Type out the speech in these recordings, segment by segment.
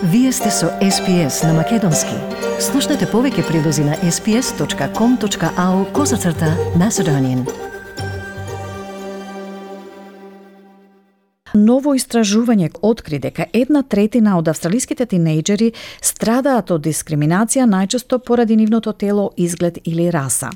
Вие сте со SPS на Македонски. Слушнете повеќе прилози на sps.com.au/Macedonian. Ново истражување откри дека 1/3 од австралиските тинејџери страдаат од дискриминација најчесто поради нивното тело, изглед или раса.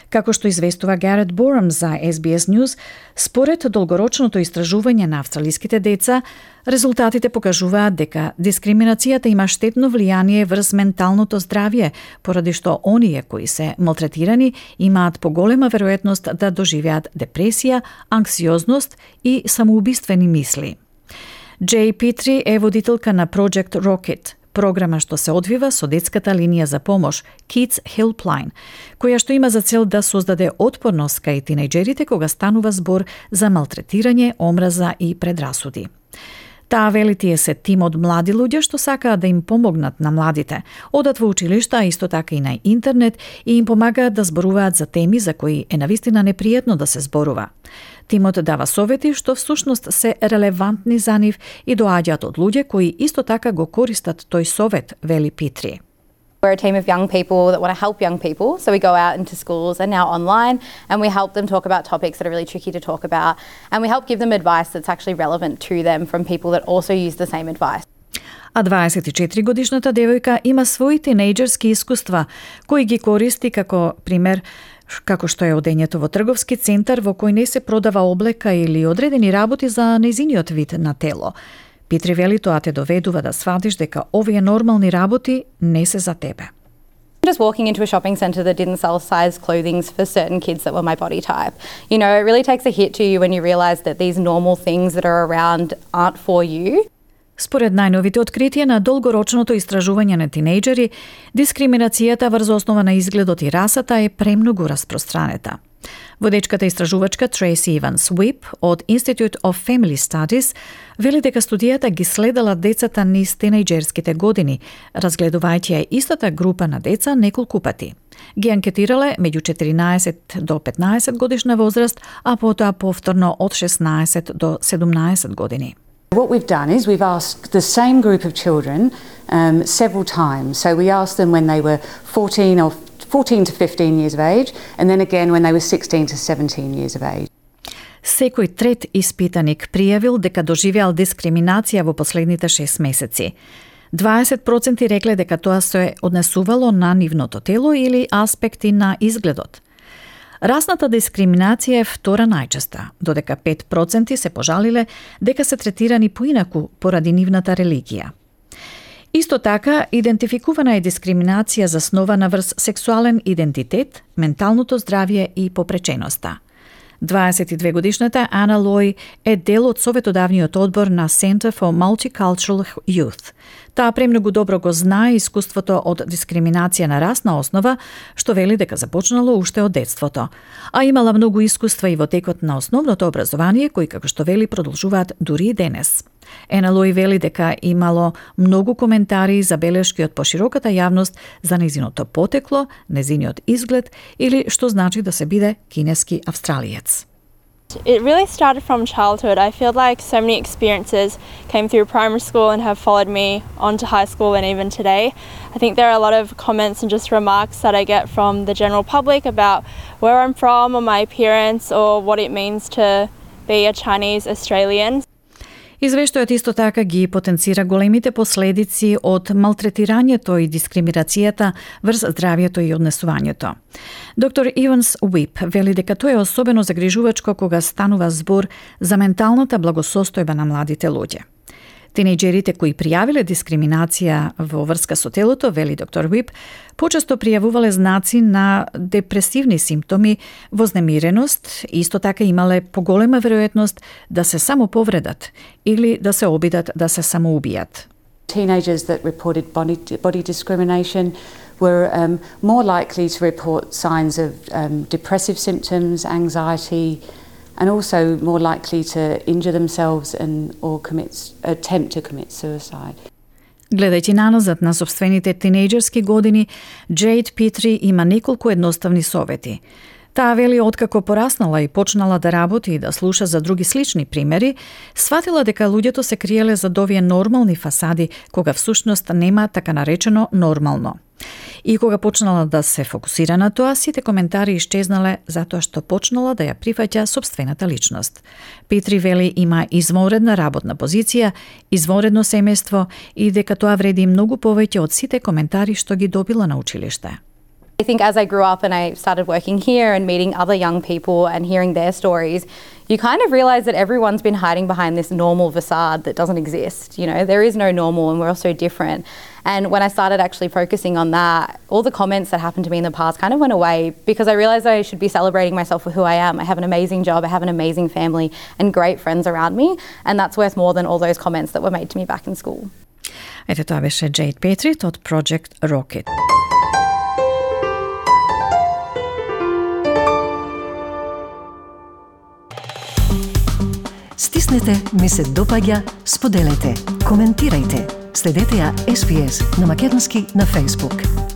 Како што известува Гарет Борам за SBS News, според долгорочното истражување на австралиските деца, резултатите покажуваат дека дискриминацијата има штетно влијание врз менталното здравје, поради што оние кои се малтретирани имаат поголема веројатност да доживеат депресија, анксиозност и самоубиствени мисли. Джей Питри е водителка на Project Rocket, програма што се одвива со детската линија за помош Kids Helpline, која што има за цел да создаде отпорност кај тинејџерите кога станува збор за малтретирање, омраза и предрасуди. Таа вели тие се тим од млади луѓе што сакаат да им помогнат на младите, одат во училишта, а исто така и на интернет и им помагаат да зборуваат за теми за кои е навистина непријатно да се зборува. Тимот дава совети што всушност се релевантни за нив и доаѓаат од луѓе кои исто така го користат тој совет, вели Питри. We're a team of young people that want to help young people, so we go out into schools and now online and we help them talk about topics that are really tricky to talk about, and we help give them advice that's actually relevant to them from people that also use the same advice. А 24-годишната девојка има свои тинејџерски искуства кои ги користи како пример како што е одењето во трговски центар во кој не се продава облека или одредени работи за нејзиниот вид на тело. Питри вели тоа те доведува да сватиш дека овие нормални работи не се за тебе. Just walking into a shopping centre that didn't sell size clothing for certain kids that were my body type. You know, it really takes a hit to you when you realise that these normal things that are around aren't for you. Според најновите откритија на долгорочното истражување на тинејџери, дискриминацијата врз основа на изгледот и расата е премногу распространета. Водечката истражувачка Трейси Иванс Уип од Institute of Family Studies вели дека студијата ги следела децата низ тинејџерските години, разгледувајќи ја истата група на деца неколку пати. Ги анкетирале меѓу 14 до 15 годишна возраст, а потоа повторно од 16 до 17 години. What we've done is we've asked the same group of children several times. So we asked them when they were 14 to 15 years of age, and then again when they were 16 to 17 years of age. Секој трет испитаник пријавил дека доживеал дискриминација во последните 6 месеци. 20% рекле дека тоа се однесувало на нивното тело или аспекти на изгледот. Расната дискриминација е втора најчеста, додека 5% се пожалиле дека се третирани поинаку поради нивната религија. Исто така, идентификувана е дискриминација заснована врз сексуален идентитет, менталното здравје и попреченоста. 22-годишната Ана Лој е дел од советодавниот одбор на Center for Multicultural Youth. Таа премногу добро го знае искуството од дискриминација на расна основа, што вели дека започнало уште од детството. А имала многу искуства и во текот на основното образование, кои како што вели продолжуваат дури и денес. Ена Лој вели дека имало многу коментари и забелешки од пошироката јавност за нејзиното потекло, нејзиниот изглед или што значи да се биде кинески австралиец. It really started from childhood. I feel like so many experiences came through primary school and have followed me on to high school and even today. I think there are a lot of comments and just remarks that I get from the general public about where I'm from or my appearance or what it means to be a Chinese Australian. Извештајот исто така ги потенцира големите последици од малтретирањето и дискриминацијата врз здравјето и однесувањето. Доктор Иванс Уип вели дека тоа е особено загрижувачко кога станува збор за менталната благосостојба на младите луѓе. Тинејџерите кои пријавиле дискриминација во врска со телото, вели доктор Уип, почесто пријавувале знаци на депресивни симптоми, вознемиреност и исто така имале поголема веројатност да се самоповредат или да се обидат да се самоубијат. Teenagers that reported body discrimination were more likely to report signs of depressive symptoms, anxiety, and also more likely to injure themselves or attempt to commit suicide. Гледајќи наназад на собствените тинејџерски години, Джейд Питри има неколку едноставни совети. Таа вели откако пораснала и почнала да работи и да слуша за други слични примери, сватила дека луѓето се криеле за овие нормални фасади, кога всушност нема така наречено нормално. И кога почнала да се фокусира на тоа, сите коментари исчезнале затоа што почнала да ја прифаќа сопствената личност. Петри вели има извонредна работна позиција, извонредно семејство и дека тоа вреди многу повеќе од сите коментари што ги добила на училиште. I think as I grew up and I started working here and meeting other young people and hearing their stories, you kind of realize that everyone's been hiding behind this normal facade that doesn't exist. You know, there is no normal and we're all so different. And when I started actually focusing on that, all the comments that happened to me in the past kind of went away because I realized that I should be celebrating myself for who I am. I have an amazing job, I have an amazing family and great friends around me, and that's worth more than all those comments that were made to me back in school. Ето тоа беше Jade Petrit од Project Rocket. Стиснете, ми се допаѓа, споделете, коментирајте. Следете ја SPS на Македонски на Facebook.